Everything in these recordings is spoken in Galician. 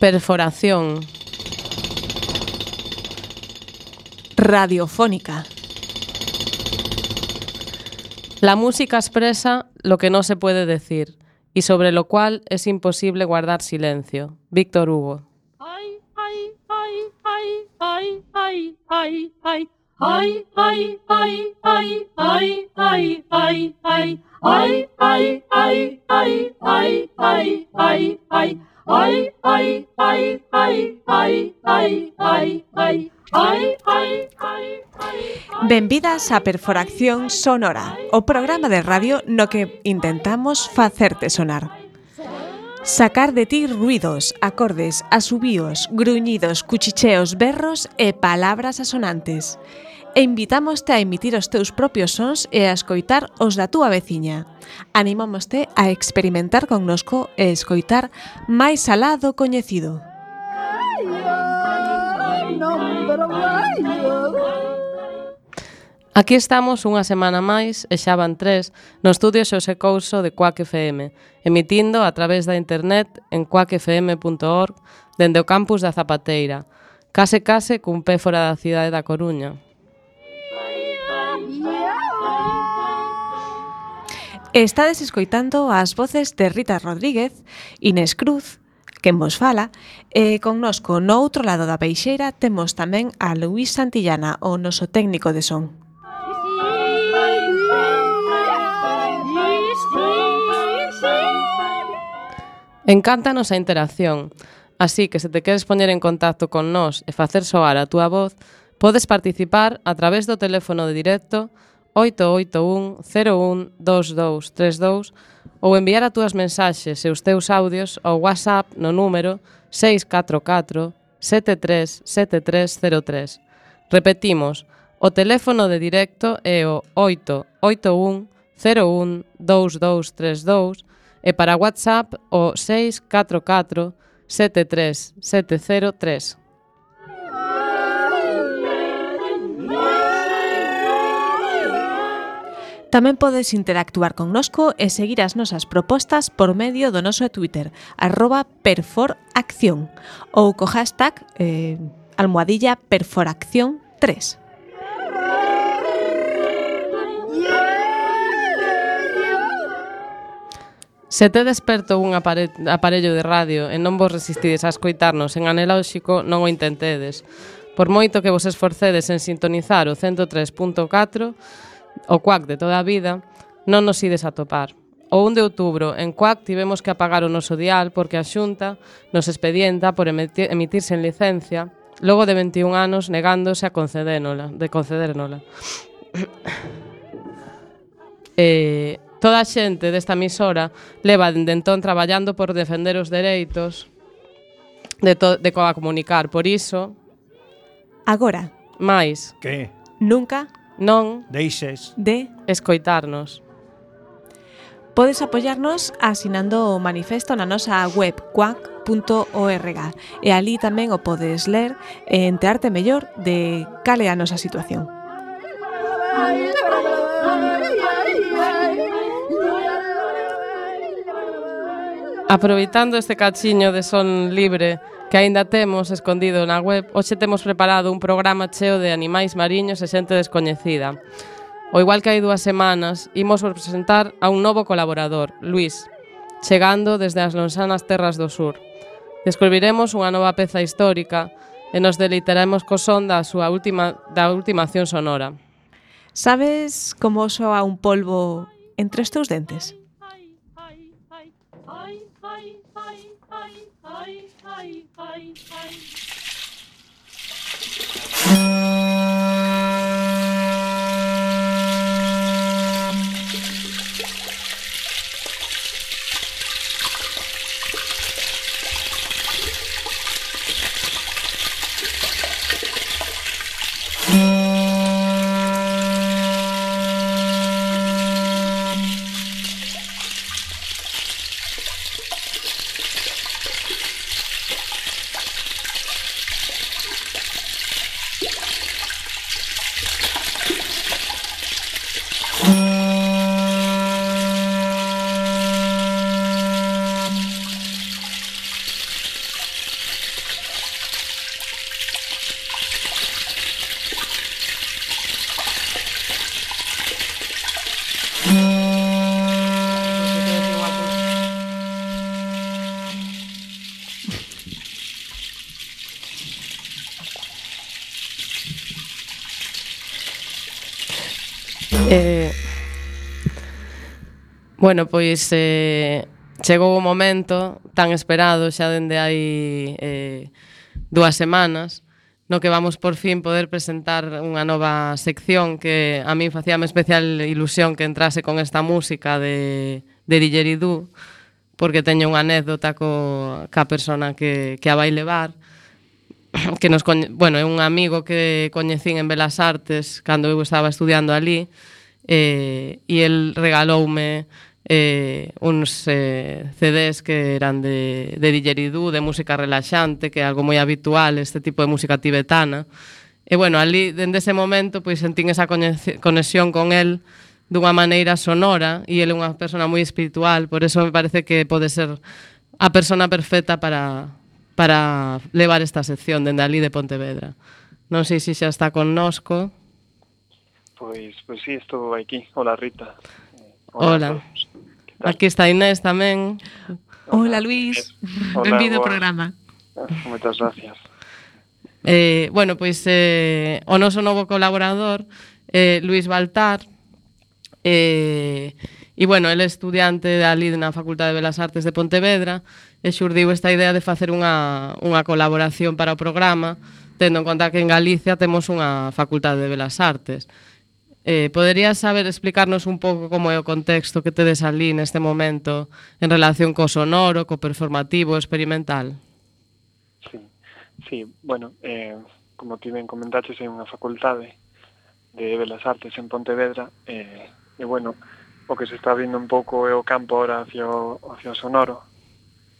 Perforación. Radiofónica. La música expresa lo que no se puede decir y sobre lo cual es imposible guardar silencio. Víctor Hugo. Benvidas a Perforación Sonora, o programa de radio no que intentamos facerte sonar. Sacar de ti ruidos, acordes, asubíos, gruñidos, cuchicheos, berros e palabras asonantes. E invitámoste a emitir os teus propios sons e a escoitar os da túa veciña. Animámoste a experimentar connosco e escoitar máis alá do coñecido. Aquí estamos unha semana máis, e xa van 3, no estudio Xosé Couso de Cuac FM, emitindo a través da internet en cuacfm.org dende o campus da Zapateira, case cun pé fora da cidade da Coruña. Estades escoitando as voces de Rita Rodríguez, Inés Cruz, quen vos fala, e connosco no outro lado da peixeira temos tamén a Luís Santillana, o noso técnico de son. Encántanos a interacción, así que se te queres poñer en contacto con nós e facer soar a túa voz, podes participar a través do teléfono de directo 881 01 2232 ou enviar as túas mensaxes e os teus audios ao WhatsApp no número 644 737303. Repetimos, o teléfono de directo é o 881 01 2232 e para WhatsApp o 644 73703. Tamén podes interactuar connosco e seguir as nosas propostas por medio do noso Twitter, @perforacción, ou co hashtag #perforacción3. Se te desperto un aparello de radio e non vos resistides a escoitarnos en analóxico, non o intentedes. Por moito que vos esforcedes en sintonizar o 103.4, o Cuac de toda a vida, non nos ides a topar. O 1 de outubro, en Cuac, tivemos que apagar o noso dial porque a Xunta nos expedienta por emitir sen licencia, logo de 21 anos negándose a concedérnola. Toda a xente desta emisora leva dende entón traballando por defender os dereitos de comunicar. Por iso, agora, máis que nunca non deixes de escoitarnos. Podes apoiarnos asinando o manifesto na nosa web cuac.org e ali tamén o podes ler e enterarte mellor de cal é a nosa situación. Aproveitando este cachiño de son libre que aínda temos escondido na web, hoxe temos preparado un programa cheo de animais mariños e xente descoñecida. O igual que hai 2 semanas, imos presentar a un novo colaborador, Luís, chegando desde as lonxanas terras do sur. Descubriremos unha nova peza histórica e nos deleitaremos co son da última acción sonora. Sabes como soa un polvo entre os teus dentes? Bueno, pois chegou o momento tan esperado xa dende hai 2 semanas no que vamos por fin poder presentar unha nova sección que a min facíame especial ilusión que entrase con esta música de Didgeridoo, porque teño unha anécdota ca persona que a vai levar, que bueno, é un amigo que coñecín en Belas Artes cando eu estaba estudiando ali, e el regaloume uns CDs que eran de Didgeridoo, de música relaxante, que é algo moi habitual, este tipo de música tibetana. E bueno, ali, dende ese momento, pois sentín esa conexión con el dunha maneira sonora, e ele é unha persona moi espiritual, por eso me parece que pode ser a persona perfecta para levar esta sección dende ali de Pontevedra. Non sei se xa está connosco. Pois sí, estou aquí. Hola, Rita. Hola. Aquí está Inés tamén. Hola, Luis. Benvido ao programa. Moitas gracias. Bueno, pois o noso novo colaborador, Luis Baltar, e bueno, ele é estudiante ali na Facultade de Belas Artes de Pontevedra, e xurdiu esta idea de facer unha colaboración para o programa, tendo en conta que en Galicia temos unha Facultade de Belas Artes. Poderías explicarnos un pouco como é o contexto que tedes ali neste momento en relación co sonoro, co performativo, experimental? Sí, bueno, como ti ben comentaches, é unha facultade de Belas Artes en Pontevedra, e bueno, o que se está vindo un pouco é o campo ahora hacia o sonoro,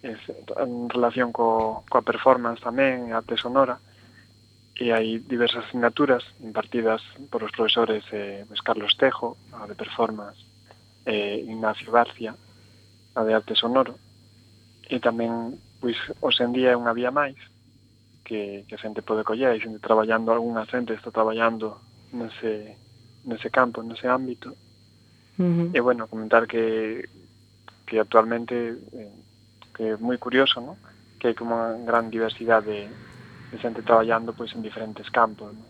en relación coa performance tamén, a arte sonora, e hai diversas asignaturas impartidas por os profesores Carlos Tejo, a de performance, Ignacio García, a de arte sonoro, e tamén, pois, hoxe en día é unha vía máis que a xente pode coller, e xente traballando, algunha xente está traballando nese campo, nese ámbito. E, bueno, comentar que actualmente que é moi curioso, ¿no? Que hai como unha gran diversidade de xente traballando pois en diferentes campos, ¿no?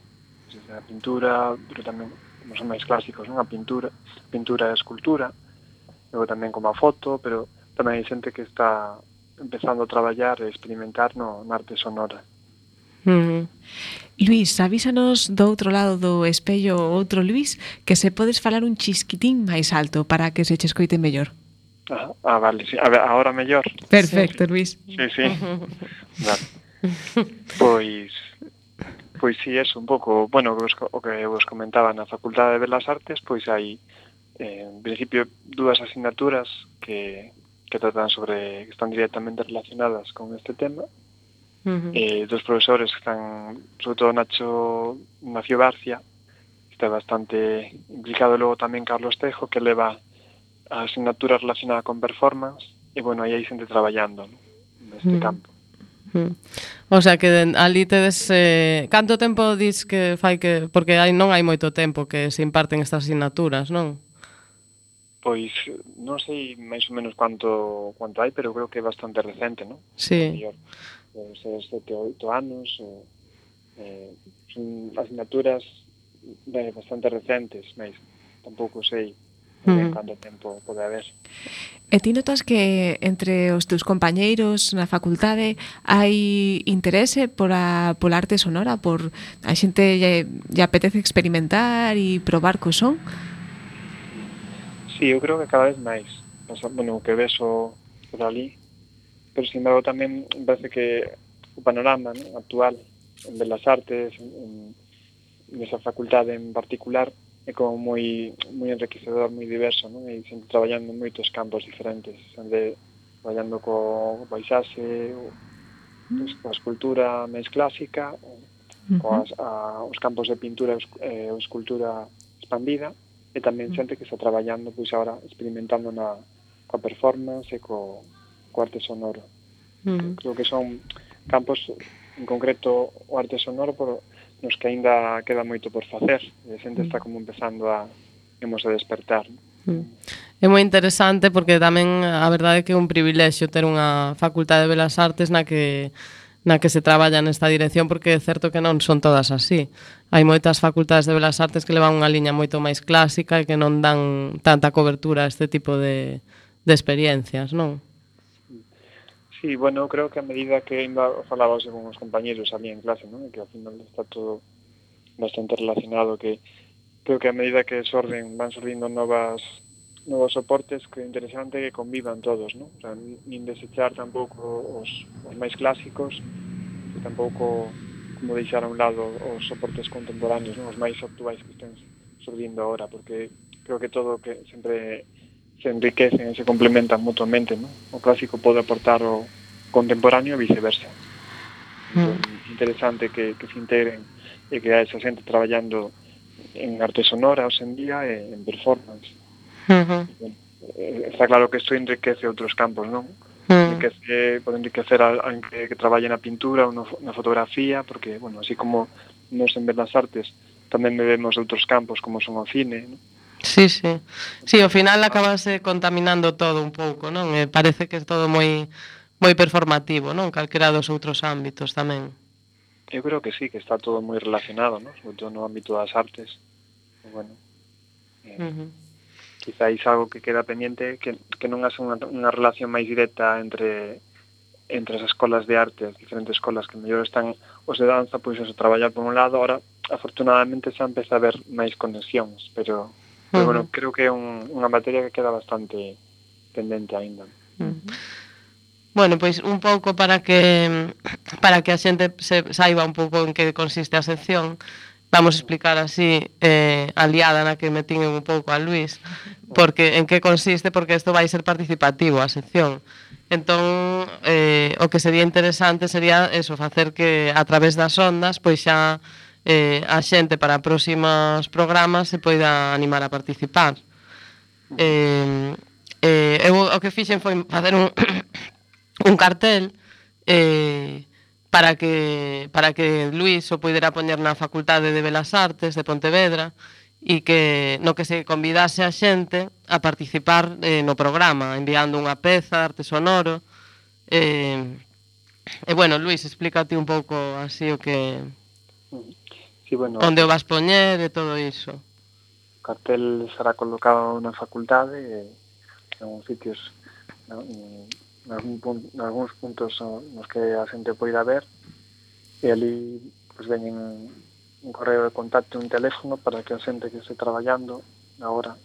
Pues, a pintura, pero tamén, como son máis clásicos, ¿no? A pintura e a escultura, logo tamén como a foto, pero tamén hai xente que está empezando a traballar e experimentar na arte sonora. Luís, avísanos do outro lado do espello outro Luís, que se podes falar un chisquitín máis alto para que se che escoite mellor. Vale, sí. A ver, agora mellor. Perfecto, Luís. Sí. Vale. Pois sí, eso un pouco, bueno, o que vos comentaba na Facultade de Belas Artes, pois hai en principio dúas asignaturas que tratan que están directamente relacionadas con este tema. Dos profesores que están, sobre todo Ignacio García, que está bastante implicado, logo tamén Carlos Tejo, que leva a asignatura relacionada con performance, e bueno, aí hai xente traballando, ¿no? Neste campo. O sea que ali tedes canto tempo dis que fai que, porque non hai moito tempo que se imparten estas asignaturas, non? Pois non sei máis ou menos quanto hai, pero creo que é bastante recente, non? Sí. Debe ser 7 ou 8 anos, son asignaturas bastante recentes, mas tampouco sei canto tempo pode haber. E ti notas que entre os teus compañeiros na facultade hai interese pola arte sonora, por a xente lle apetece experimentar e probar co son? Sí, eu creo que cada vez máis. Bueno, o que vexo por ali, pero sin embargo tamén parece que o panorama, ¿no?, actual en Belas Artes, nesa facultade en particular, é como moi enriquecedor, moi diverso, ¿no? E sempre traballando en moitos campos diferentes, traballando co paisaxe, coa escultura máis clásica, os campos de pintura e escultura expandida, e tamén xente que está traballando pois agora experimentando coa performance e co arte sonoro. Creo que son campos, en concreto o arte sonoro, nos que aínda queda moito por facer, e a xente está como empezando a despertar. É moi interesante porque tamén a verdade é que é un privilexio ter unha facultade de Belas Artes na que na que se traballa nesta dirección, porque é certo que non son todas así. Hai moitas facultades de Belas Artes que levan unha liña moito máis clásica e que non dan tanta cobertura a este tipo de experiencias, non? Sí, bueno, creo que a medida que falaba con os compañeros ali en clase, non? Que ao final está todo bastante relacionado, que creo que a medida que van sordindo novos soportes, que é interesante que convivan todos, non? O sea, nin desechar tampouco os máis clásicos, e tampouco como deixar a un lado os soportes contemporáneos, non? Os máis actuais que estén sordindo agora, porque creo que todo que sempre se enriquecen e se complementan mutuamente, non? O clásico pode aportar o contemporáneo e viceversa. Entón, interesante que se integren e que a esa xente traballando en arte sonora hoxe en día e en performance. Está claro que isto enriquece outros campos, non? Pode enriquecer a que traballe na pintura ou na fotografía, porque, bueno, así como nos en Belas Artes tamén vemos outros campos como son o cine, non? Sí, sí. Sí, ao final acabase contaminando todo un pouco, non? Parece que é todo moi performativo, non? Calquera dos outros ámbitos tamén. Eu creo que sí, que está todo moi relacionado, non? Sobre todo no ámbito das artes. Bueno, quizáis algo que queda pendiente que non hace unha relación máis directa entre as escolas de arte, as diferentes escolas que mellor están os de danza, pois a traballar por un lado. Ahora, afortunadamente, xa empeza a haber máis conexións, pero bueno, creo que é unha materia que queda bastante pendente aínda. Bueno, pois un pouco para que a xente saiba un pouco en que consiste a sección, vamos a explicar así a liada na que metín un pouco a Luís, porque en que consiste, porque isto vai ser participativo a sección. Entón, o que sería interesante sería eso, facer que a través das ondas, pois xa a xente para próximos programas se poida animar a participar. Eu o que fixen foi facer un cartel para que Luís o poidera poñer na Facultade de Belas Artes de Pontevedra e que no que se convidase a xente a participar no programa, enviando unha peza de arte sonoro. E bueno, Luís, explícate un pouco así o que... Sí, bueno, onde o vas poñer e todo iso. O cartel será colocado na facultade en algúns sitios, en algúns puntos nos que a xente poida ver, e ali pues, veñen un correo de contacto e un teléfono para que a xente que este traballando agora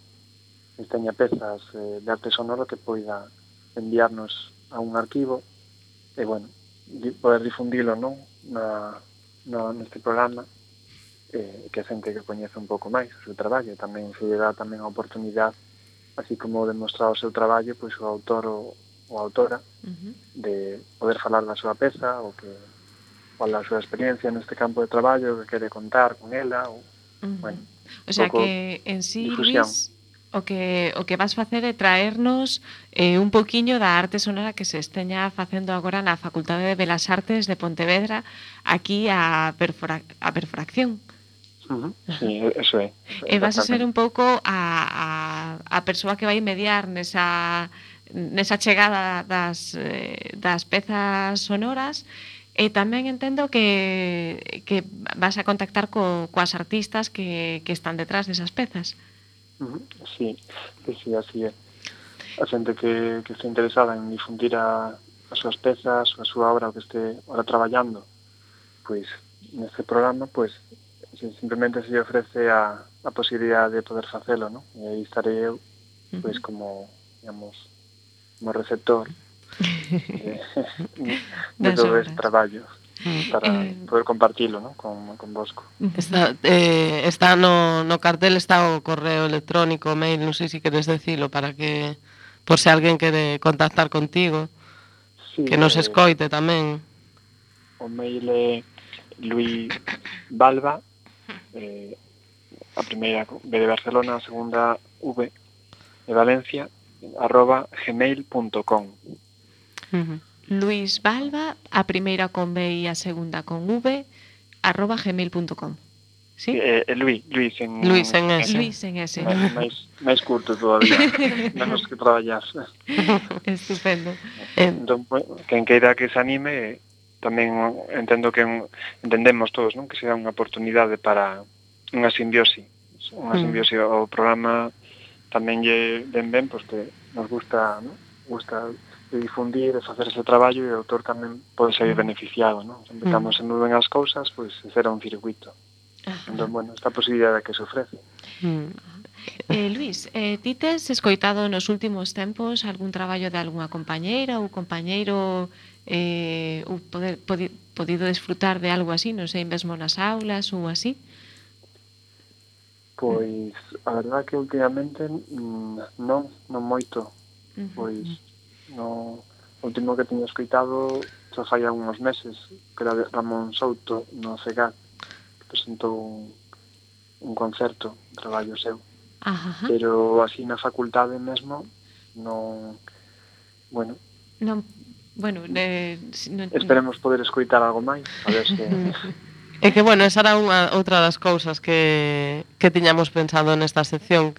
teña pezas de arte sonoro que poida enviarnos a un arquivo e, bueno, poder difundilo, non? Neste programa, que a xente que coñece un pouco máis o seu traballo, tamén se lle dá tamén a oportunidade, así como demostrar o seu traballo, pois o autor ou autora de poder falar da súa peza ou da súa experiencia neste campo de traballo que quere contar con ela ou, bueno, o sea que en sí, difusión. Luís, o que vas facer é traernos un poquiño da arte sonora que se esteña facendo agora na Facultade de Belas Artes de Pontevedra, aquí a Perforacción. Sí, eso é. E vas a ser un pouco a persoa que vai mediar nesa chegada das pezas sonoras, e tamén entendo que vas a contactar coas artistas que están detrás desas pezas. Sí, así é. A xente que este interesada en difundir as súas pezas, a súa obra, o que este ahora traballando, pois neste programa, pois simplemente se lle ofrece a posibilidade de poder facelo, non? E aí estarei eu, pois como, digamos, como receptor de todo este traballo para poder compartilo, non? Con vosco. Está no cartel, está o correo electrónico, o mail, non sei se queres decilo, para que, por se alguén quere contactar contigo, sí, que nos escoite tamén. O mail é Luís Balba, a primeira B de Barcelona, a segunda V de Valencia, @gmail.com. Luís Balba, a primeira con B e a segunda con V, @gmail.com. ¿Sí? Luís en S. Luís en S. máis curto todavía, menos que traballar. Estupendo. Entón, quen queira que se anime, tamén entendo que entendemos todos, non? Que será unha oportunidade para unha simbiose. Unha simbiose ao programa tamén lle ven ben, porque nos gusta, non? Gusta de difundir, de facer ese traballo e o autor tamén pode ser beneficiado, non? Sempre cando se mueven as cousas, pois será un circuito. Entón, bueno, esta posibilidade que se ofrece. Luís, ti tes escoitado nos últimos tempos algún traballo de algunha compañeira ou compañeiro ou podido desfrutar de algo así, non sei, mesmo nas aulas ou así? Pois, a verdade que últimamente non moito. Pois, no último que teño escoitado xa fai uns meses, que era de Ramón Souto no CEGAC, que presentou un concerto, un traballo seu. Pero así na facultade mesmo non, bueno, esperemos poder escoitar algo máis, a ver se É que, bueno, esa era outra das cousas que tiñamos pensado nesta sección,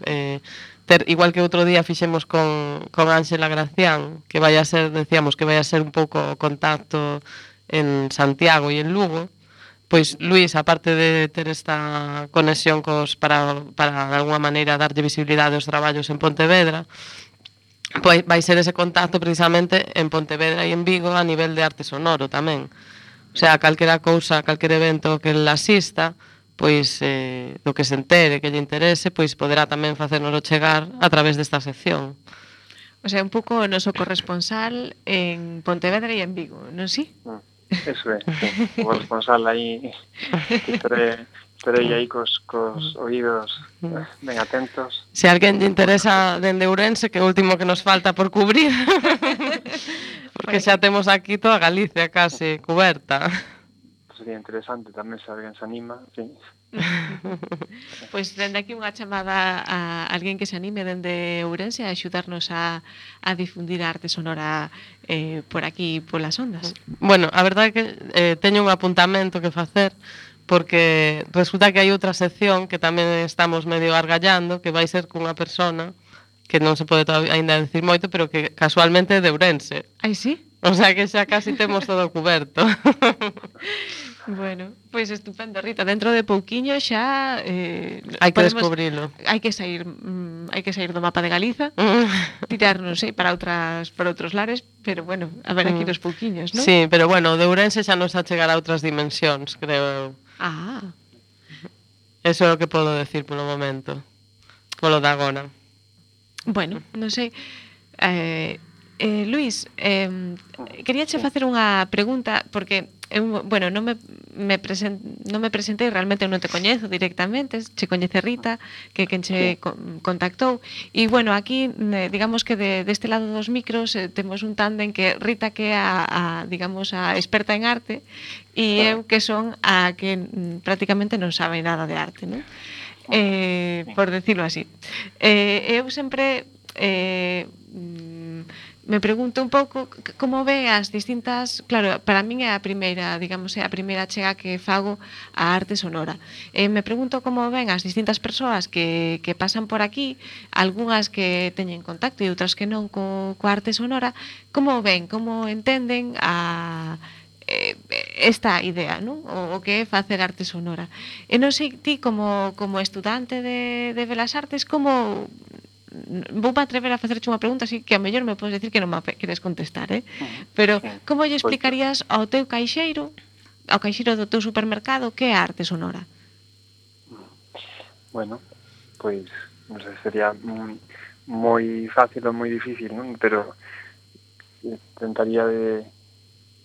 igual que outro día fixemos con Ángela Gracián, que vai a ser, decíamos, que vai a ser un pouco contacto en Santiago e en Lugo. Pois Luís, aparte de ter esta conexión para de alguma maneira darlle visibilidade aos traballos en Pontevedra, pois vai ser ese contacto precisamente en Pontevedra e en Vigo a nivel de arte sonoro tamén. O sea, calquera cousa, calquer evento que ele asista, pois do que se entere, que lle interese, pois poderá tamén facérnoslo chegar a través desta sección. O sea, un pouco o noso corresponsal en Pontevedra e en Vigo, non si? Eso é, sí. O responsable aí estarei aí cos oídos ben atentos. Se alguén lle interesa dende Ourense, que é o último que nos falta por cubrir, porque xa temos aquí toda Galicia case cuberta. Sería interesante tamén se alguén se anima, sí. Pois dende aquí unha chamada a alguén que se anime dende Ourense a axudarnos a difundir a arte sonora por aquí, polas ondas. Bueno, a verdade é que teño un apuntamento que facer, porque resulta que hai outra sección que tamén estamos medio argallando, que vai ser cunha persona que non se pode ainda decir moito, pero que casualmente é de Ourense. Ai, sí? O sea que xa casi temos todo cuberto. Bueno, pois estupendo, Rita. Dentro de pouquiño xa hai que descubrilo. Hai que sair do mapa de Galiza, tirar, non sei, para outros lares, pero bueno, a ver aquí nos pouquiños, non? Sí, pero bueno, de Ourense xa nos a chegar a outras dimensións, creo eu. Eso é o que podo decir polo momento. Polo de agora. Bueno, non sei. Luís, queríache facer unha pregunta, porque bueno, non me presentei, realmente non te coñezo directamente, che coñece Rita, que quen che contactou, e bueno, aquí digamos que deste lado dos micros temos un tándem que Rita que é digamos a experta en arte e eu que son a que prácticamente non sabe nada de arte, non? Por decirlo así. Eu sempre me pregunto un pouco como ve as distintas, claro, para min é a primeira, digamos, é a primeira chega que fago á arte sonora. Me pregunto como ven as distintas persoas que pasan por aquí, algunhas que teñen contacto e outras que non coa arte sonora, como ven, como entenden esta idea, non? O que é facer arte sonora. E non sei ti como estudante de Belas Artes como vou me atrever a facerche unha pregunta así que a mellor me podes decir que non me queres contestar, pero como lle explicarías ao teu caixeiro do teu supermercado que é arte sonora? Bueno, pois non sei, sería moi fácil ou moi difícil, non? Pero tentaría de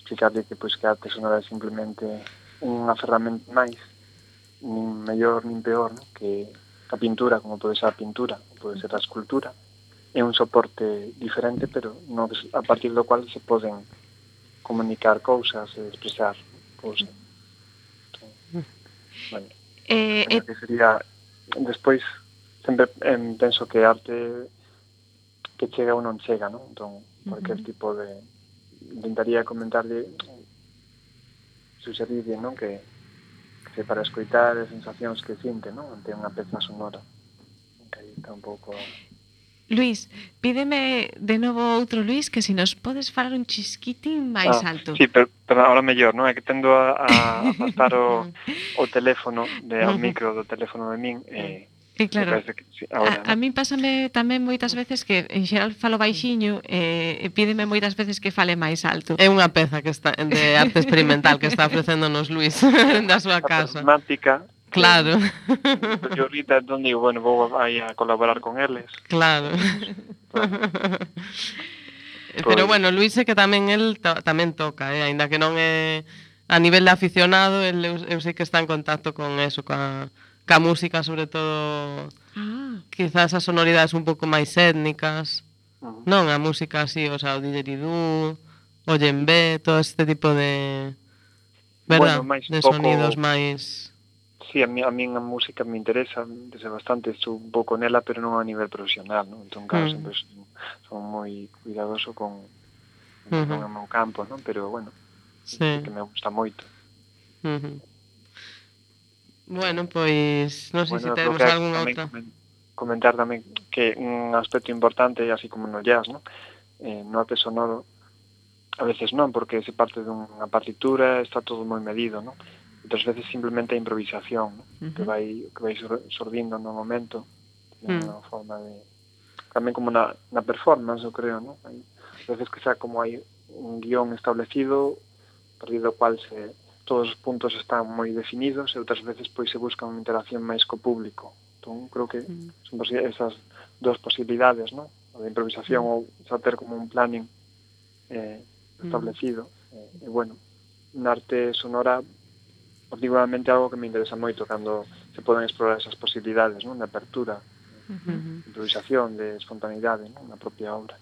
explicarle que pois que a arte sonora é simplemente unha ferramenta máis, nin mellor nin peor, non? Que a pintura, como pode ser a pintura, pode ser a escultura, é un soporte diferente, pero a partir do cual se poden comunicar cousas e expresar cousas. Bueno, que sería, despois, sempre penso que arte que chega ou non chega, non? Entón, cualquier tipo de... Intentaría comentarle, suxerirle, non? Que para escoitar as sensacións que sinte, non? Ante unha peza sonora. Que aí está un pouco... Luís, pídeme de novo outro Luís que se nos podes falar un chisquitín máis alto. Sí, pero ahora mellor, non? É que tendo a afastar o teléfono ao micro do teléfono de min E claro, que, sí, ahora, a min pásame tamén moitas veces que en xeral falo baixiño e pídeme moitas veces que fale máis alto. É unha peza que está de arte experimental que está ofrecéndonos Luís da súa casa. Temática. Claro. Yo ahorita digo, bueno, vou aí a colaborar con eles. Claro. Pero bueno, Luís é que tamén el tamén toca, aínda que non é a nivel de aficionado, eu sei que está en contacto con eso, ca música, sobre todo, quizás as sonoridades un pouco máis étnicas, non a música así, o sea, o didgeridoo, o djembe, todo este tipo de, verdad, bueno, de sonidos máis... Sí, a mí a música me interesa desde bastante, estou un pouco nela, pero non a nivel profesional, non? Entón, claro, sempre son moi cuidadoso con o meu campo, non? Pero, bueno, sí que me gusta moito. Bueno, pois, non sei se temos algunha outra. Comentar tamén que un aspecto importante, así como no jazz, non? No arte sonoro, a veces non, porque se parte dunha partitura, está todo moi medido, non? Outras veces simplemente a improvisación, ¿no? que vai sordindo no momento, unha forma de... Tamén como na performance, eu creo, ¿no? Hai veces que xa como hai un guión establecido, a partir do cual todos os puntos están moi definidos, e outras veces pois se busca unha interacción máis co público. Entón, creo que son esas dos posibilidades, ¿no? A de improvisación ou xa ter como un planning establecido. E, bueno, na arte sonora particularmente algo que me interesa moito cando se poden explorar esas posibilidades, non? De apertura, de improvisación, de espontaneidade, non? Na propia obra.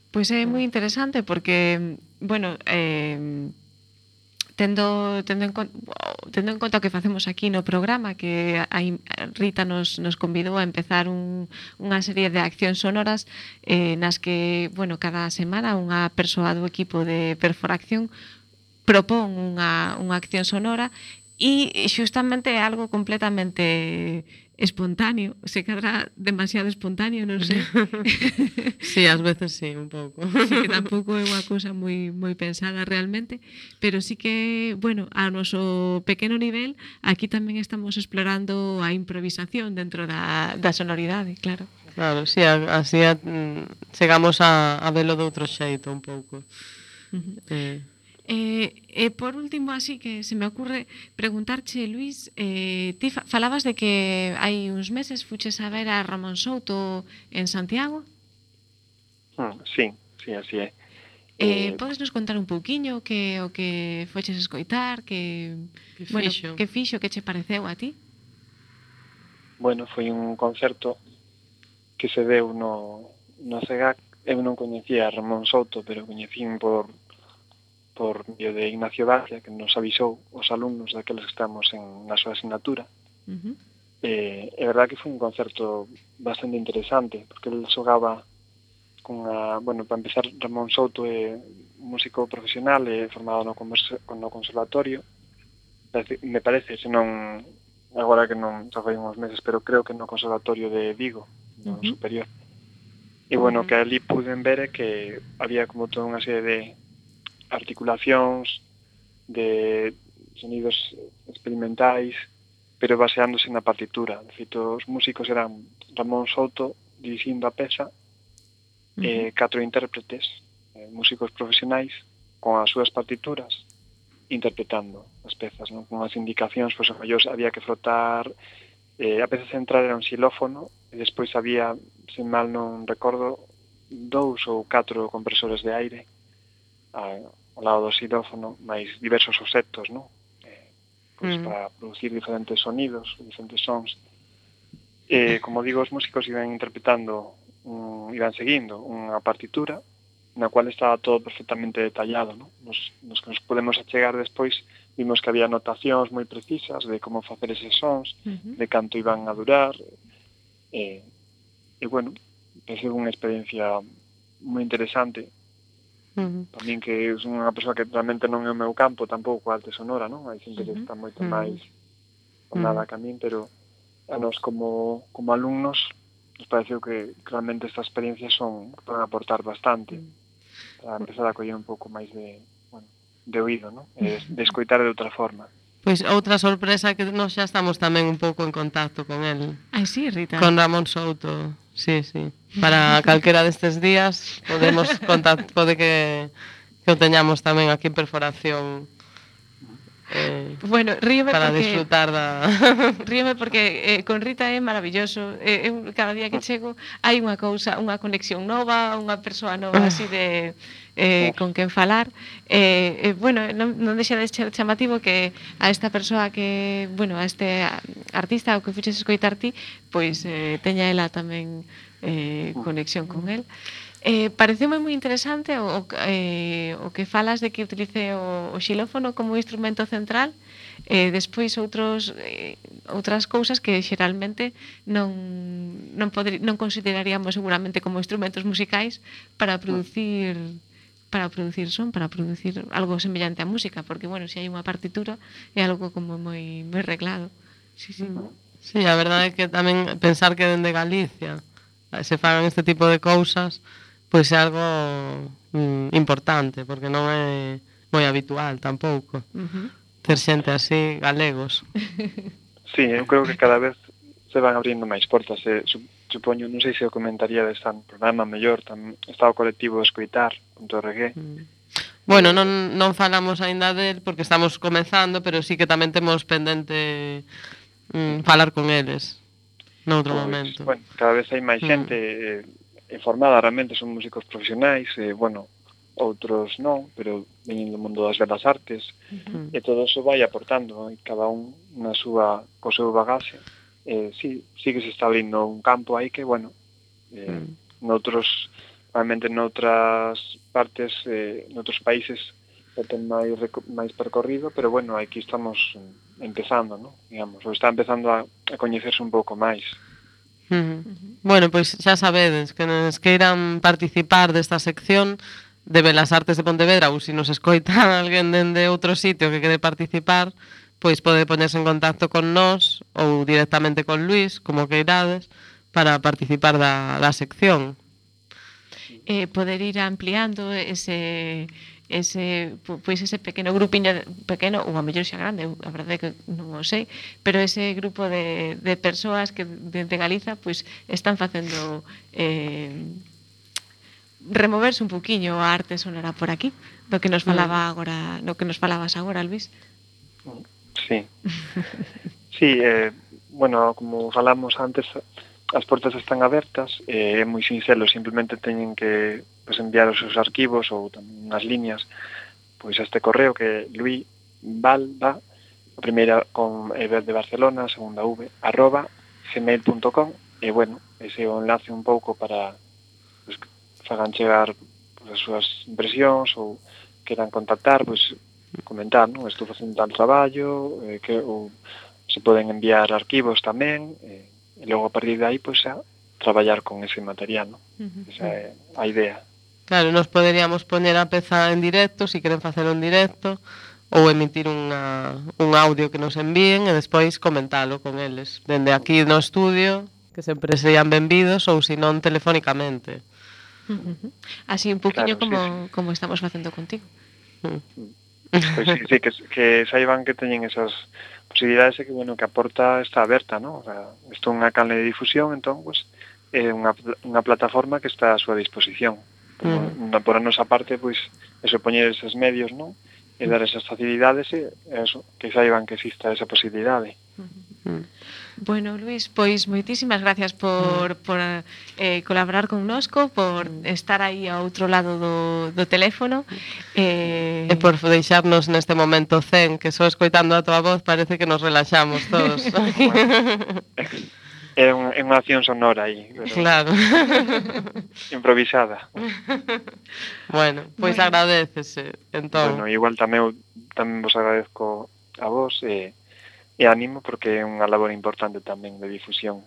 Pois é moi interesante porque, bueno, tendo en conta o que facemos aquí no programa, que a Rita nos convidou a empezar unha serie de accións sonoras nas que, bueno, cada semana unha persoa do equipo de Perforacción propón unha acción sonora e xustamente é algo completamente espontáneo, se cadra demasiado espontáneo, non sei. Sí, ás veces sí, un pouco. Sí, que tampouco é unha cousa moi pensada realmente, pero sí que, bueno, a noso pequeno nivel, aquí tamén estamos explorando a improvisación dentro da sonoridade, claro. Claro, sí, así chegamos a velo de outro xeito un pouco. Por último, así que se me ocurre preguntarche, Luís, ti falabas de que hai uns meses fuches a ver a Ramón Souto en Santiago? Sí, así é. Podes nos contar un pouquiño o que foches escoitar, que fixo, que che pareceu a ti? Bueno, foi un concerto que se deu no CEGAC. Eu non coñecía a Ramón Souto, pero coñecín por medio de Ignacio Dacia, que nos avisou os alumnos daqueles que estamos na súa asignatura. É verdad que foi un concerto bastante interesante, porque ele xogaba bueno, para empezar, Ramón Souto é músico profesional, formado no conservatorio, me parece, senón agora que non xa foi uns meses, pero creo que no conservatorio de Vigo, no superior. E bueno, que ali puden ver é que había como toda unha serie de articulacións, de sonidos experimentais, pero baseándose na partitura. De feito, os músicos eran Ramón Souto dirixindo a peza, e 4 intérpretes, músicos profesionais, con as súas partituras, interpretando as pezas, non? Con as indicacións, pois, había que frotar, a peza central era un xilófono, e despois había, sen mal non recordo, 2 ou 4 compresores de aire, ao lado do xilófono, máis diversos obxectos, non? Pois para producir diferentes sonidos, diferentes sons. Como digo, os músicos iban interpretando, iban seguindo unha partitura na cual estaba todo perfectamente detallado, non? Nos que nos podemos achegar despois, vimos que había anotacións moi precisas de como facer eses sons, de canto iban a durar, e bueno, é unha experiencia moi interesante. Tamén que son unha persoa que realmente non é o meu campo tampouco a arte sonora, non? Hai xente que está moito máis con nada que a min, pero a nos como alumnos nos pareceu que realmente estas experiencias van a aportar bastante para empezar a coller un pouco máis de oído, ¿no? De escoitar de outra forma. Pois outra sorpresa que nós xa estamos tamén un pouco en contacto con el. Ai, sí, Rita. Con Ramón Souto, sí. Para calquera destes días podemos pode que o teñamos tamén aquí en Perforación. Bueno, ríome para porque disfrutar da ríome porque con Rita é maravilloso. Eu cada día que chego hai unha cousa, unha conexión nova, unha persoa nova así de con quen falar. Bueno, non deixa de ser chamativo que a esta persoa que, bueno, a este artista o que fuches escoitar ti, pois teña ela tamén conexión con el. Pareceume moi interesante o que falas de que utilice o xilófono como instrumento central, despois outras cousas que xeralmente non consideraríamos seguramente como instrumentos musicais para producir son, para producir algo semellante á música, porque, bueno, se hai unha partitura é algo como moi reglado. Sí. Sí, a verdade é que tamén pensar que dende Galicia se fagan este tipo de cousas pois é algo importante, porque non é moi habitual tampouco ter xente así, galegos. Sí, eu creo que cada vez se van abrindo máis portas. Supoño, non sei se o comentaría desta programa mellor, está o colectivo Escoitar.org. Bueno, non falamos aínda del porque estamos comezando, pero sí que tamén temos pendente falar con eles noutro momento. Bueno, cada vez hai máis xente informada, realmente son músicos profesionais, outros non, pero veñen do mundo das belas artes, e todo eso vai aportando, cada un co seu bagaxe. Sí que se está abrindo un campo aí que, realmente noutras partes, noutros países ten máis percorrido, pero aquí estamos empezando, ¿no? Digamos, ou está empezando a coñecerse un pouco máis. Bueno, pois xa sabedes que nos queiran participar desta sección de Belas Artes de Pontevedra, ou se nos escoita alguén dende outro sitio que quere participar, pois pode ponerse en contacto con nós ou directamente con Luís, como queirades, para participar da sección. Poder ir ampliando ese pequeno grupiño pequeno, ou a mellor xa grande, a verdade é que non o sei, pero ese grupo de persoas que dende Galiza pois están facendo removerse un poquinho a arte sonora por aquí, do que nos falaba agora, no que nos falabas agora, Luís. Sí. Sí, como falamos antes, as portas están abertas, é moi sinxelo, simplemente teñen que enviar os seus arquivos ou tamén unhas líneas pois a este correo que é luisvalva, a primeira con E de Barcelona, a segunda V, @gmail.com, e ese é o enlace un pouco para que fagan chegar as súas impresións ou queran contactar, comentar, non? Estou facendo tal traballo, ou se poden enviar arquivos tamén, e logo a partir de aí xa traballar con ese material, non? Esa é a idea. Claro, nos poderíamos poñer a peza en directo, se queren facelo en directo, ou emitir un audio que nos envíen e despois comentalo con eles, dende aquí no estudio, que sempre sean benvidos, ou se non telefónicamente. Así un poquinho como estamos facendo contigo. Pois sí, que saiban que teñen esas posibilidades e que a porta está aberta, ¿no? O sea, isto é unha canle de difusión, entón, é unha plataforma que está a súa disposición. Por a nosa parte, eso, poñer esos medios, non? E dar esas facilidades e eso, que saiban que exista esa posibilidade. Bueno, Luís, pois moitísimas gracias por colaborar connosco, por estar aí ao outro lado do teléfono e por deixarnos neste momento zen, que só escoitando a tua voz parece que nos relaxamos todos. É unha acción sonora aí, pero claro. Improvisada. Bueno, pois agradecese, entón. Bueno, igual tamén vos agradezco a vos e ánimo, porque é unha labor importante tamén de difusión.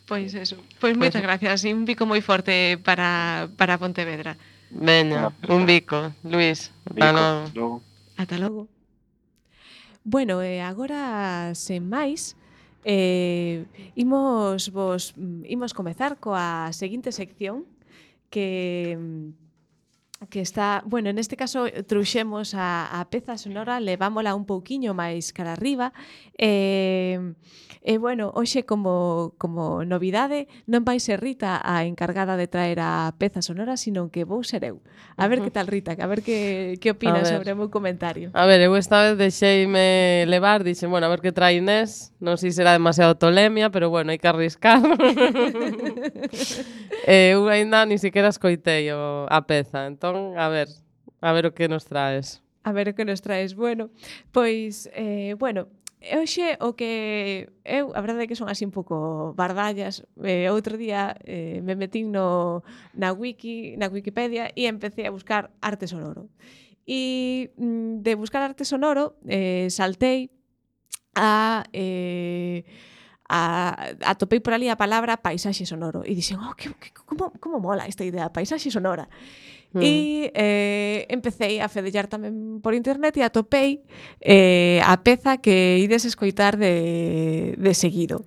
Pois eso, pois moitas gracias e un bico moi forte para Pontevedra. Veña, un bico, Luís. Ata logo. Ata logo. Bueno, agora, sen máis, Imos comezar coa seguinte sección que está, bueno, neste caso trouxemos a peza sonora, levámola un pouquiño máis cara arriba bueno, hoxe como novidade non vai ser Rita a encargada de traer a peza sonora, sino que vou ser eu. A ver que tal, Rita, a ver que opinas sobre o meu comentario. A ver, eu esta vez deixeime levar, dixen, bueno, a ver que trae Inés, non sei se será demasiado tolemia, pero bueno, hai que arriscar. Eu ainda ni siquiera escoitei a peza, entón, a ver o que nos traes. A ver o que nos traes. Bueno, pois, hoxe o que eu, a verdade é que son así un pouco bardallas. Outro día me metín na Wikipedia e empecé a buscar arte sonoro. E de buscar arte sonoro saltei atopei por ali a palabra paisaxe sonoro e dixen, como mola esta idea, paisaxe sonora. E empecé a fedellar tamén por internet e atopei a peza que ides escoitar de seguido.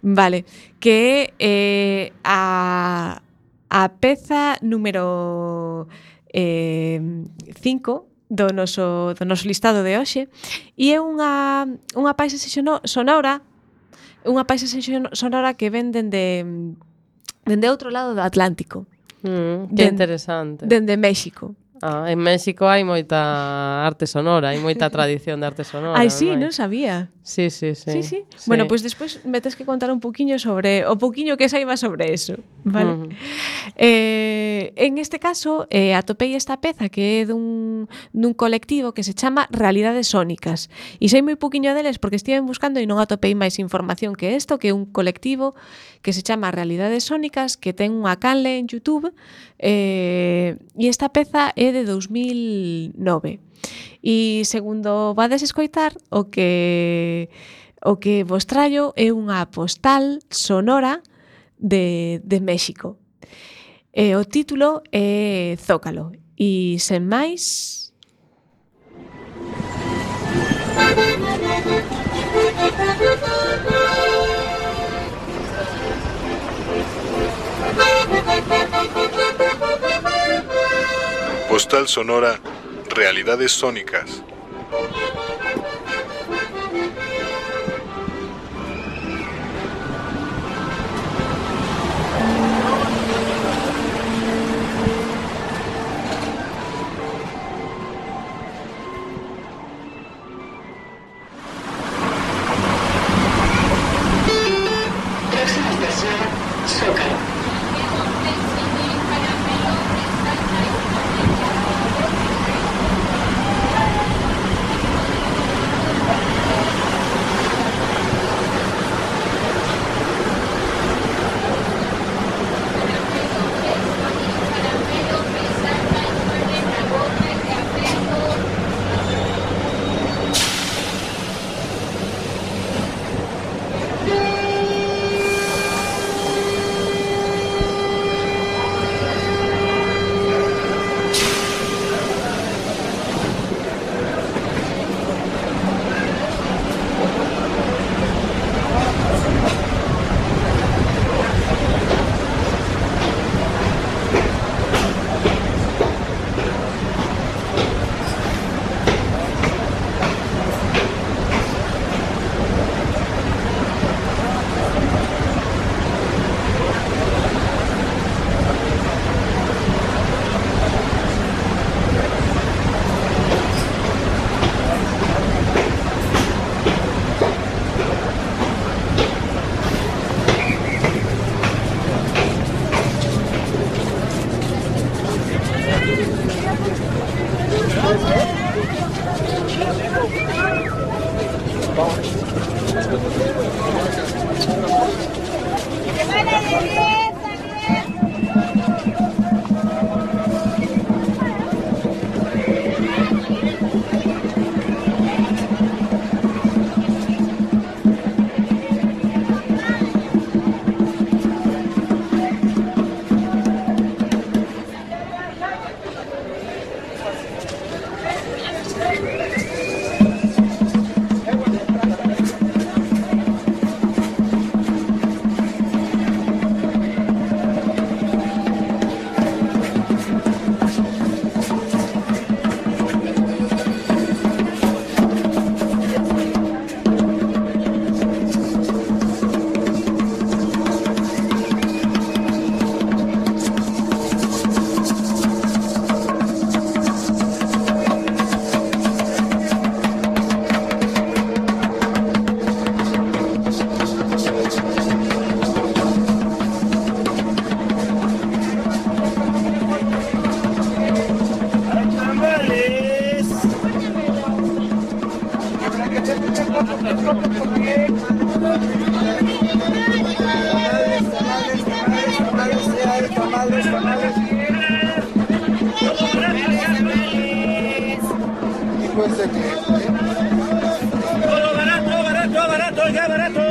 Vale, que é a peza número 5 do noso listado de hoxe e é unha paisaxe sonora, unha paisaxe sonora que ven dende outro lado do Atlántico. Que interesante. Dende México. En México hai moita arte sonora, hai moita tradición de arte sonora. Ai, sí, non sabía. Sí. Bueno, pois despois me tes que contar un poquinho sobre o poquinho que saiba sobre eso, vale? En este caso, atopei esta peza que é dun colectivo que se chama Realidades Sónicas. E sei moi poquinho deles porque estive buscando e non atopei máis información que isto, que é un colectivo que se chama Realidades Sónicas, que ten unha canle en YouTube, e esta peza é de 2009. E segundo vades escoitar, o que vos traio é unha postal sonora de México. O título é Zócalo. E sen máis... Postal sonora, Realidades Sónicas. Próxima estación, Zócalo. Barato, ya barato.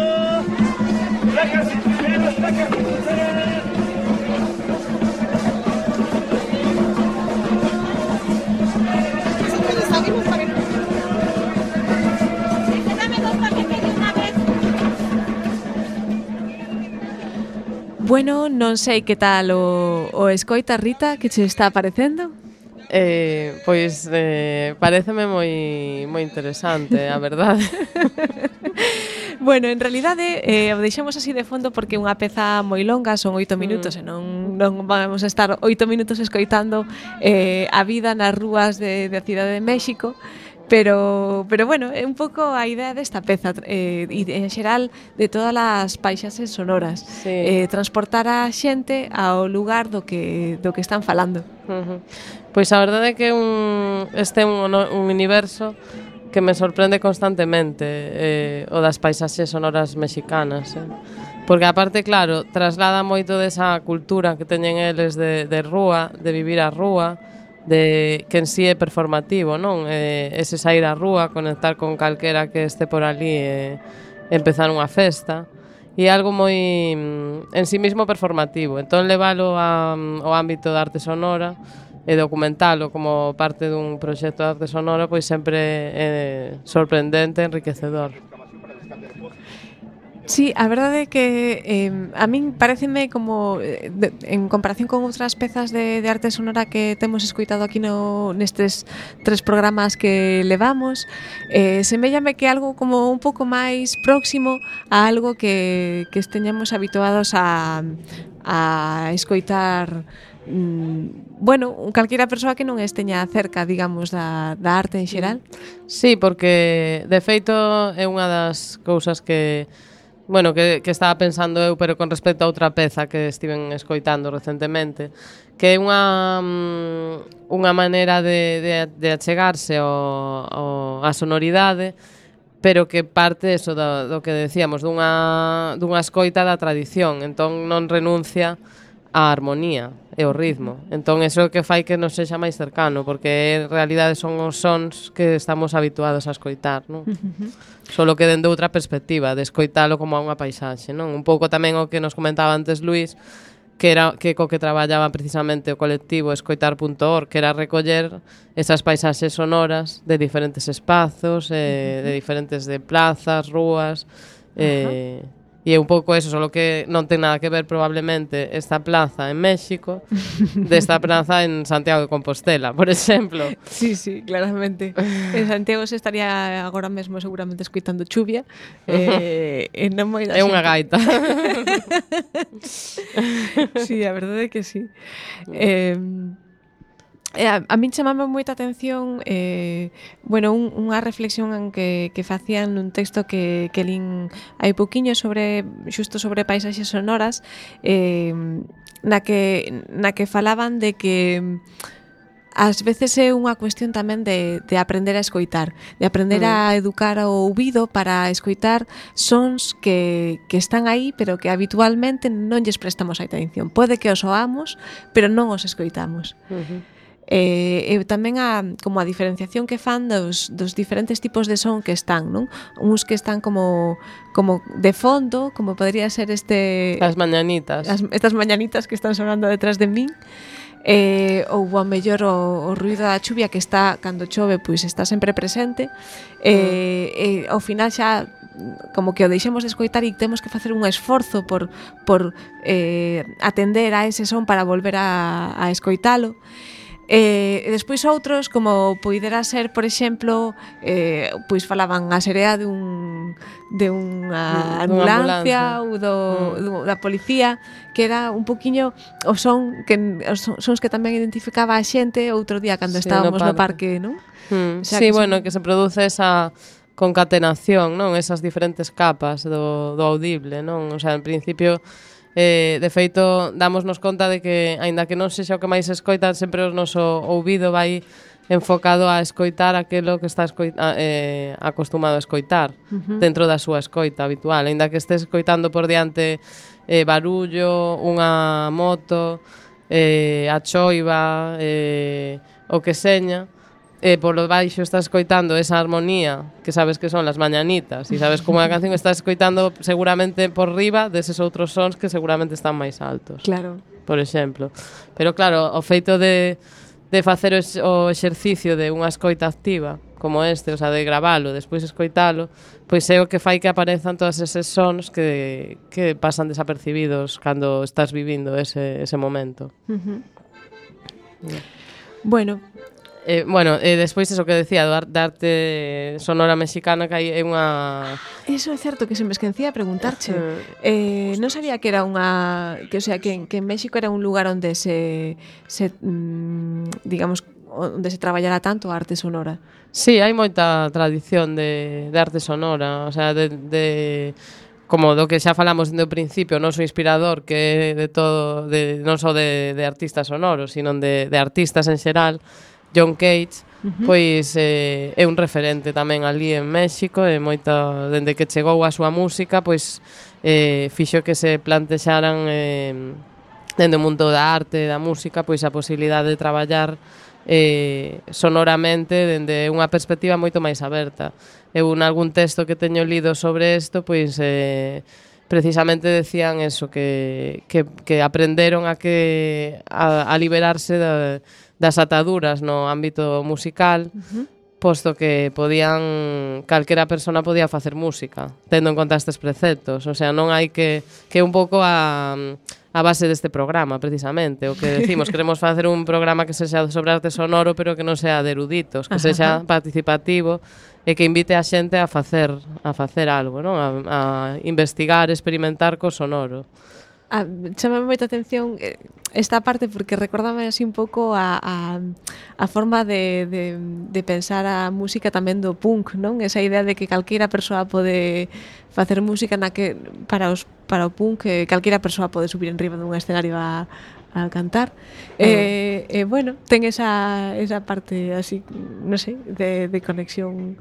Bueno, non sei que tal o escoita, Rita, que che está parecendo? Pois pareceme moi interesante, a verdade. Bueno, en realidade o deixamos así de fondo porque é unha peza moi longa, son 8 minutos e non vamos a estar 8 minutos escoitando a vida nas rúas da Cidade de México. Pero bueno, é un pouco a idea desta peza e en xeral de todas as paisaxes sonoras, Sí. transportar a xente ao lugar do que están falando. Pois a verdade é que este é un universo que me sorprende constantemente, o das paisaxes sonoras mexicanas, porque aparte, claro, traslada moito desa cultura que teñen eles de rúa, de vivir a rúa, de que en sí é performativo, non? Ese sair á rúa, conectar con calquera que este por ali e empezar unha festa, e algo moi en sí mismo performativo. Entón leválo ao ámbito da arte sonora e documentalo como parte dun proxecto de arte sonora, pois sempre é sorprendente, enriquecedor. Sí, a verdade é que a min pareceme como en comparación con outras pezas de arte sonora que temos escoitado aquí nestes 3 programas que levamos, semellame que algo como un pouco máis próximo a algo que esteñamos habituados a escoitar, bueno, calquera persoa que non esteña cerca, digamos, da arte en xeral. Sí, porque de feito é unha das cousas que estaba pensando eu, pero con respecto a outra peza que estiven escoitando recentemente, que é unha maneira de achegarse á sonoridade, pero que parte eso do que decíamos, dunha escoita da tradición, entón non renuncia á armonía e o ritmo. Entón eso é o que fai que nos sexa máis cercano, porque en realidade son os sons que estamos habituados a escoitar, non? Solo que dende outra perspectiva, de escoitalo como a unha paisaxe, non? Un pouco tamén o que nos comentaba antes Luís, que era que co que traballaba precisamente o colectivo escoitar.org, que era recoller esas paisaxes sonoras de diferentes espazos, de diferentes de plazas, rúas, e é un pouco eso, solo que non ten nada que ver probablemente esta plaza en México desta plaza en Santiago de Compostela, por exemplo. Sí, claramente. En Santiago se estaría agora mesmo seguramente escoitando chuvia, e non moi da É unha gaita. Sí, a verdade é que sí. A min chamame moita atención unha reflexión que facían nun texto que lin hai pouquiño xusto sobre paisaxes sonoras, na que falaban de que ás veces é unha cuestión tamén de aprender a escoitar, de aprender a educar o ouvido para escoitar sons que están aí, pero que habitualmente non lles prestamos atención. Pode que os oamos, pero non os escoitamos. E tamén como a diferenciación que fan dos diferentes tipos de son que están, non? Uns que están como de fondo, como podría ser As mañanitas. Estas mañanitas que están sonando detrás de min, ou ao mellor o ruido da chuvia que está, cando chove, pois está sempre presente, e ao final xa como que o deixemos de escoitar e temos que facer un esforzo por atender a ese son para volver a escoitalo. E despois outros, como poidera ser, por exemplo, pois falaban a serea dunha ambulancia ou da policía, que era un poquiño os sons que tamén identificaba a xente outro día cando estábamos no parque, non? Sí, bueno, que se produce esa concatenación, non? Esas diferentes capas do audible, non? O sea, en principio de feito, dámonos conta de que aínda que non sexa o que máis escoitan, sempre o noso ouvido vai enfocado a escoitar aquilo que está acostumado a escoitar dentro da súa escoita habitual, aínda que estés escoitando por diante barullo, unha moto, a choiva, o que seña, polo baixo estás escoitando esa armonía que sabes que son las mañanitas e sabes como a canción estás escoitando seguramente por riba deses outros sons que seguramente están máis altos. Claro. Por exemplo. Pero claro, o feito de facer o exercicio de unha escoita activa como este, o sea, de gravalo, despois escoitalo, pois é o que fai que aparezan todos eses sons que pasan desapercibidos cando estás vivindo ese momento. Bueno, despois eso que decía da arte sonora mexicana, que hai unha... Eso é certo, que se me esquecía a preguntarche. Non sabía que era que en México era un lugar onde digamos, onde se traballara tanto a arte sonora. Sí, hai moita tradición de arte sonora, o sea, como do que xa falamos do principio, o noso inspirador, que é de todo, non só de artistas sonoros, sino de artistas en xeral, John Cage, pois é un referente tamén ali en México, e moita, dende que chegou a súa música, pois fixo que se plantexaran dende o mundo da arte, da música, pois a posibilidade de traballar sonoramente dende unha perspectiva moito máis aberta. Eu en algún texto que teño lido sobre isto, pois precisamente decían eso, que aprenderon a liberarse das ataduras no ámbito musical, posto que calquera persona podía facer música, tendo en conta estes preceptos. O sea, non hai que un pouco a base deste programa, precisamente. O que decimos, queremos facer un programa que sexa sobre arte sonoro, pero que non sea de eruditos, que sexa participativo e que invite a xente a facer algo, non? A investigar, experimentar co sonoro. Chámame moita atención esta parte, porque recordame así un pouco a forma de pensar a música tamén do punk, non? Esa idea de que calquera persoa pode facer música para o punk, calquera persoa pode subir en riba dun escenario a cantar. Bueno, ten esa parte así, non sei, de conexión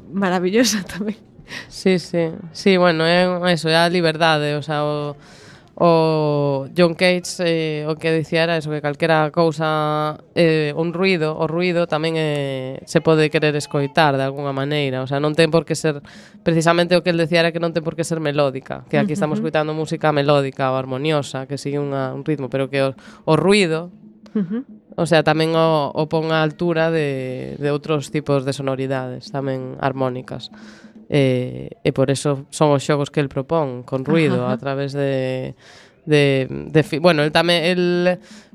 maravillosa tamén. Sí, bueno, é a liberdade, o sea, o John Cage o que dicía era eso, que calquera cousa, o ruido tamén se pode querer escoitar de alguna maneira, o sea, non ten por que ser, precisamente o que el decía era que non ten por que ser melódica, que aquí estamos escoitando música melódica ou armoniosa, que sigue un ritmo, pero que o ruido, o sea, tamén o pon a altura de outros tipos de sonoridades, tamén armónicas. E por eso son os xogos que el propón con ruido a través bueno, el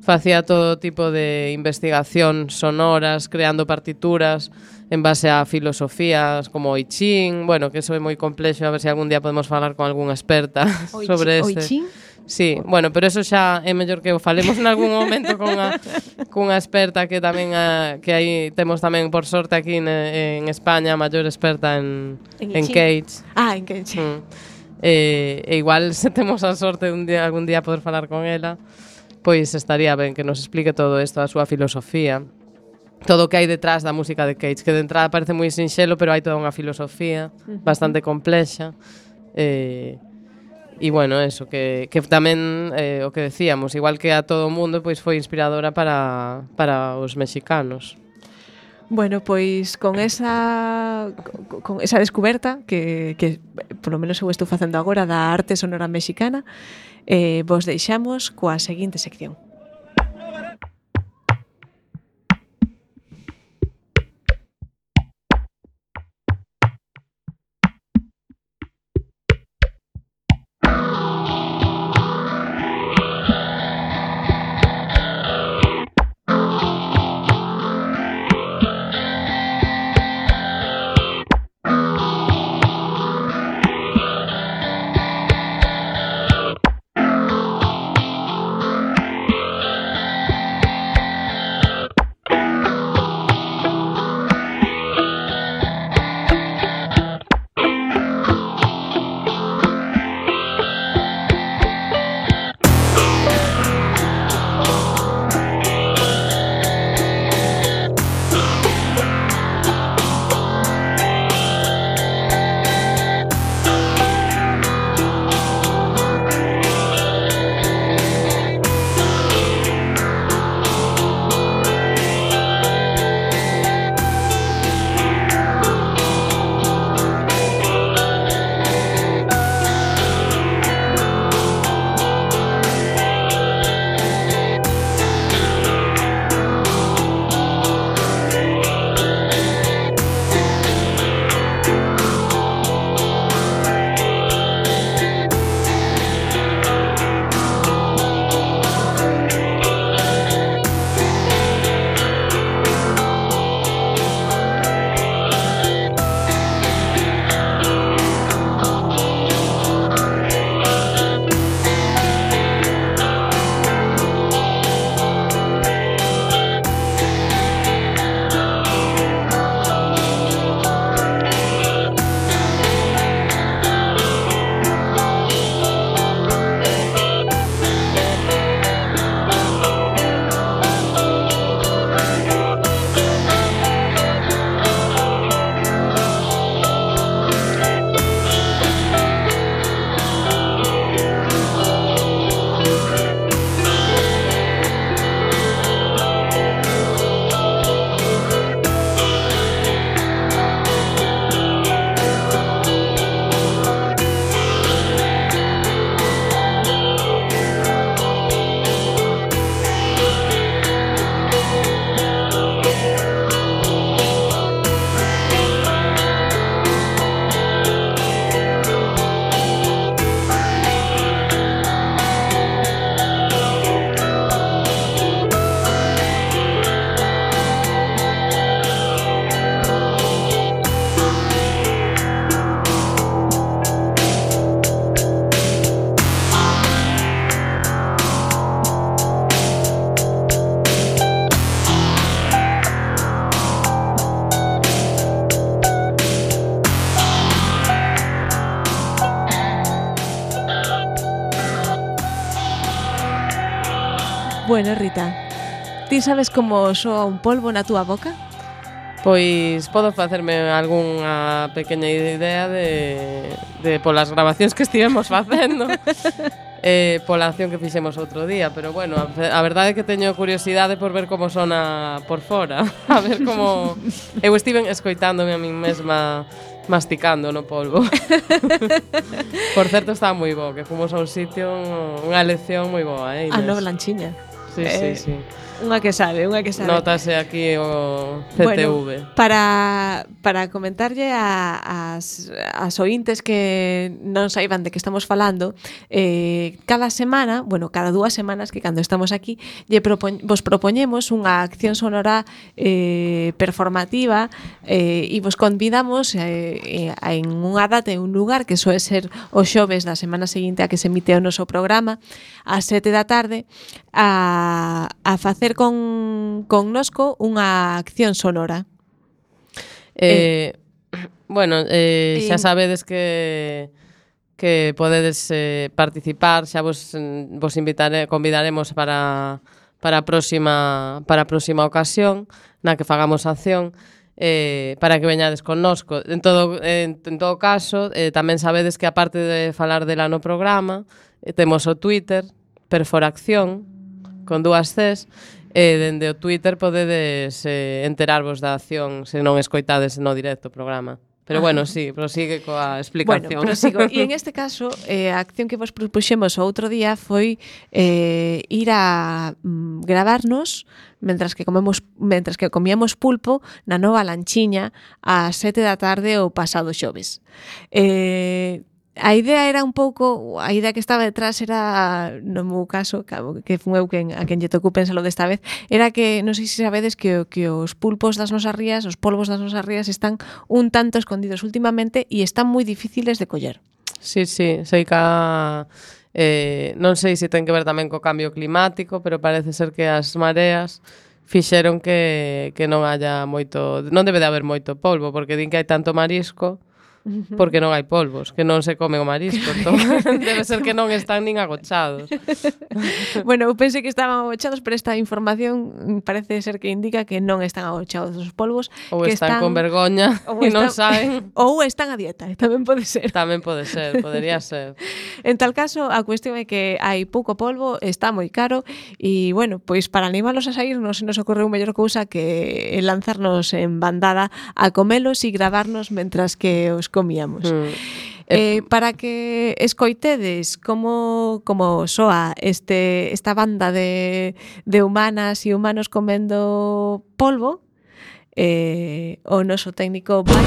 facía todo tipo de investigación sonoras, creando partituras en base a filosofías como o I Ching, bueno, que eso é moi complexo, a ver se algún día podemos falar con algunha experta sobre este. O I Ching? Sí, bueno, pero eso xa é mellor que o falemos en algún momento cunha experta que tamén que aí temos tamén por sorte aquí en España, a maior experta en Cage. En Cage. E igual se temos a sorte algún día poder falar con ela, pois estaría ben que nos explique todo isto, a súa filosofía, todo o que hai detrás da música de Cage, que de entrada parece moi sinxelo, pero hai toda unha filosofía bastante complexa. E bueno, eso, que tamén o que decíamos, igual que a todo o mundo, pois foi inspiradora para os mexicanos. Bueno, pois con esa descoberta que polo menos eu estou facendo agora da arte sonora mexicana, vos deixamos coa seguinte sección. Bueno, Rita, ti sabes como soa un polvo na túa boca? Pois podo facerme algunha pequena idea de polas grabacións que estivemos facendo. Pola acción que fixemos outro día, pero bueno, a verdade é que teño curiosidade por ver como sona por fora, a ver como eu estiven escoitándome a min mesma masticando no polvo. Por certo, estaba moi bo, que fomos a un sitio, unha lección moi boa, Inés? A no Blanchiña. Sí, sí, sí. Unha que sabe. Notase aquí o CTV. Bueno, para comentarlle as ointes que non saiban de que estamos falando, cada semana, bueno, cada 2 semanas que cando estamos aquí, vos propoñemos unha acción sonora performativa e vos convidamos en unha data e un lugar que soe ser o xoves da semana seguinte a que se emite o noso programa ás 7 da tarde a facer connosco unha acción sonora. Bueno, xa sabedes que podedes participar, xa vos convidaremos para a próxima ocasión na que fagamos acción, para que veñades connosco. En todo caso, tamén sabedes que aparte de falar dela no programa, temos o Twitter Perforacción con 2 Cs. Dende o Twitter podedes enterarvos da acción se non escoitades no directo o programa. Pero bueno, sí, prosigue coa explicación. Bueno, prosigo. E en este caso, a acción que vos propuxemos o outro día foi ir a gravarnos mentras que comíamos pulpo na Nova Lanchiña ás 7 da tarde o pasado xoves. A idea era un pouco, a idea que estaba detrás era, no meu caso, que fun eu a quen lle tocou pensalo desta vez, era que, non sei se sabedes que os pulpos das nosas rías, os polvos das nosas rías están un tanto escondidos últimamente e están moi difíciles de coller. Sí, sei que non sei se ten que ver tamén co cambio climático, pero parece ser que as mareas fixeron que non haya moito, non debe de haber moito polvo, porque din que hai tanto marisco porque non hai polvos, que non se come o marisco. Entón, debe ser que non están nin agochados. Bueno, eu pensei que estaban agochados, pero esta información parece ser que indica que non están agochados os polvos. Ou que están con vergoña e non saben. Ou están a dieta, tamén pode ser. Tamén pode ser, podería ser. En tal caso, a cuestión é que hai pouco polvo, está moi caro, e, bueno, pois para animalos a sair non se nos ocorreu mellor cousa que lanzarnos en bandada a comelos e gravarnos mentras que os comíamos. Para que escoitedes como soa esta banda de humanas e humanos comendo polvo, o noso técnico vai...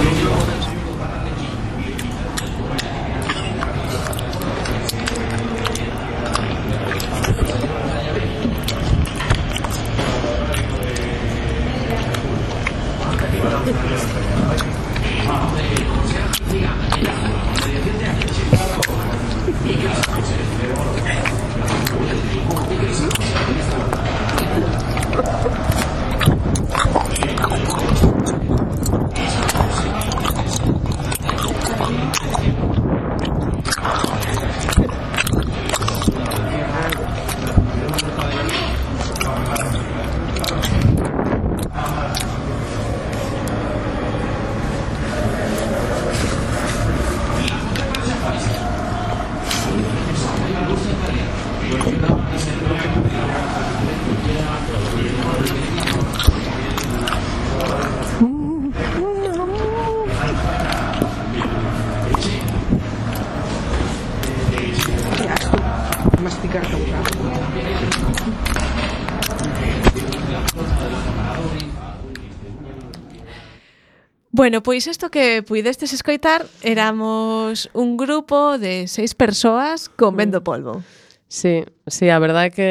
Bueno, pois isto que puidestes escoitar éramos un grupo de 6 persoas comendo polvo. Sí, a verdade é que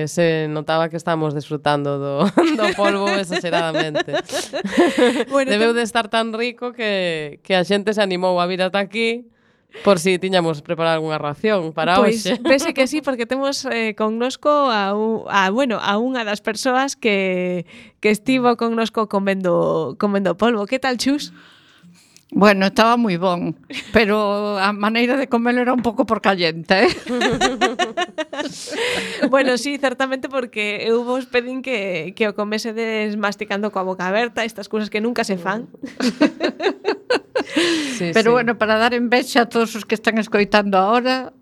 se notaba que estábamos desfrutando do polvo exageradamente. Bueno, debeu de estar tan rico que a xente se animou a vir ata aquí por si tiñamos preparado algunha ración para hoxe. Pois pese que sí, porque temos connosco a unha das persoas que estivo connosco comendo polvo. Que tal, Chus? Bueno, estaba moi bon, pero a maneira de comelo era un pouco porcallenta, Bueno, sí, certamente porque eu vos pedín que o comesedes masticando coa boca aberta, estas cousas que nunca se fan. Sí, Pero sí. bueno, para dar envexa a todos os que están escoitando ahora,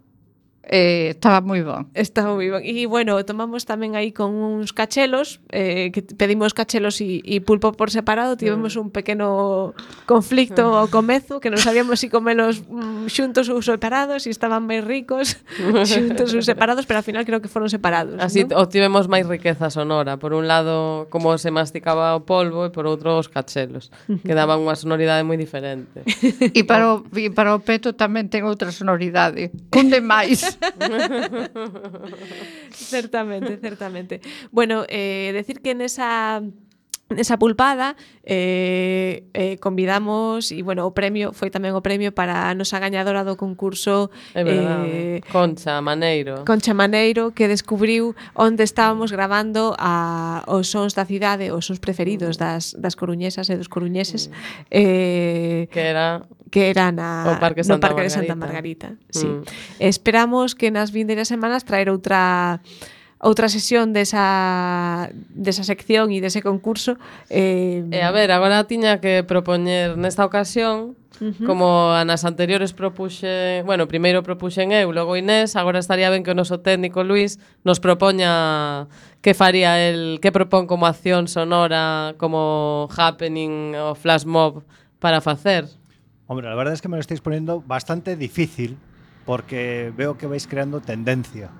estaba moi bon. Está moi ben. E, bueno, tomamos tamén aí con uns cachelos, que pedimos cachelos e pulpo por separado, tivemos un pequeno conflicto ao comezo, que non sabíamos se comelos xuntos ou separados, e estaban máis ricos xuntos ou separados, pero ao final creo que foron separados. Así ¿no? obtivemos máis riqueza sonora. Por un lado, como se masticaba o polvo, e por outro, os cachelos, que daban unha sonoridade moi diferente. E para o peto tamén ten outra sonoridade. Cunde máis. Certamente. Bueno, decir que nesa pulpada convidamos e, bueno, o premio foi tamén o premio para a nosa gañadora do concurso É verdade. Concha Maneiro. Concha Maneiro, que descubriu onde estábamos gravando os sons da cidade, os sons preferidos das coruñesas e dos coruñeses, que era no Parque Santa Margarita. de Santa Margarita. Sí. Esperamos que nas vindeiras semanas traer outra sesión desa sección e dese concurso. A ver, agora tiña que propoñer nesta ocasión, como a nas anteriores propuxe, bueno, primeiro propuxen eu, logo Inés, agora estaría ben que o noso técnico Luis nos propoña que faría el, que propón como acción sonora, como happening o flash mob para facer. Hombre, la verdad es que me lo estáis poniendo bastante difícil porque veo que vais creando tendencia.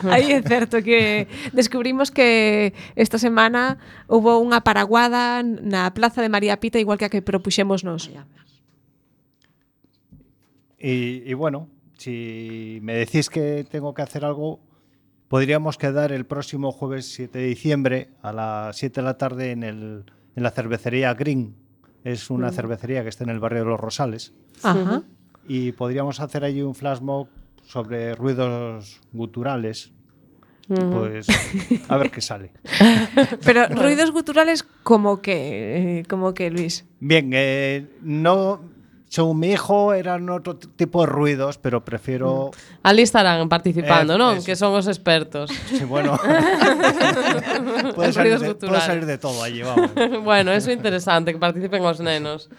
Aí é certo que descubrimos que esta semana hubo unha paraguada na Plaza de María Pita, igual que a que propuxemos nós. Y bueno, si me decís que tengo que hacer algo, podríamos quedar el próximo jueves 7 de diciembre a las 7 de la tarde en la cervecería Green. Es una cervecería que está en el barrio de Los Rosales. Ajá. Y podríamos hacer allí un flash mob sobre ruidos guturales. Pues a ver qué sale. Pero ruidos guturales como que Luis. Bien, no, según mi hijo eran otro tipo de ruidos, pero prefiero... Ali estarán participando, non? Eso. Que son os expertos. Sí, bueno. puede salir de todo allí, vamos. Bueno, eso é interesante, que participen os nenos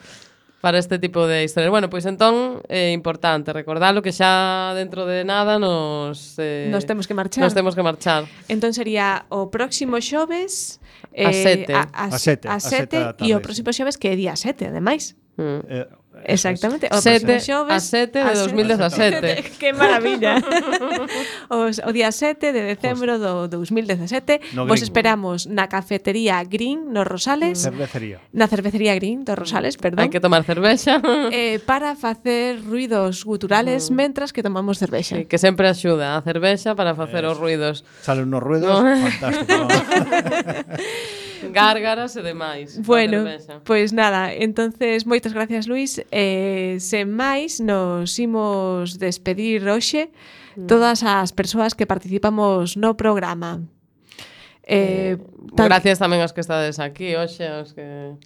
para este tipo de historias. Bueno, pois entón é importante recordalo que xa dentro de nada nos temos que marchar. Entón sería o próximo xoves a 7 a 7 e o próximo xoves que é día 7, ademais. Exactamente. O 7 xoves a 7 de 2017. Que maravilla. O día 7 de decembro do 2017 No vos Green. esperamos na cafetería Green nos Rosales. Na cervecería Green dos Rosales, perdón. Hai que tomar cervexa. Para facer ruidos guturales mentras que tomamos cervexa. Sí, que sempre axuda a cervexa para facer os ruidos. Salen unos ruidos fantásticos. Gárgaras e demais. Bueno, pois nada, entonces moitas gracias, Luis. Sen máis, nos imos despedir hoxe todas as persoas que participamos no programa. Gracias tamén aos que estades aquí hoxe, aos que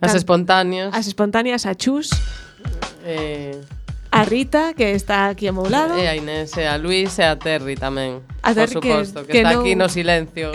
as espontáneas. As espontáneas, a Chus, a Rita, que está aquí ao meu lado, e a Inés, e a Luis, e a Terry tamén. A Terry, por suposto, que está aquí no silencio.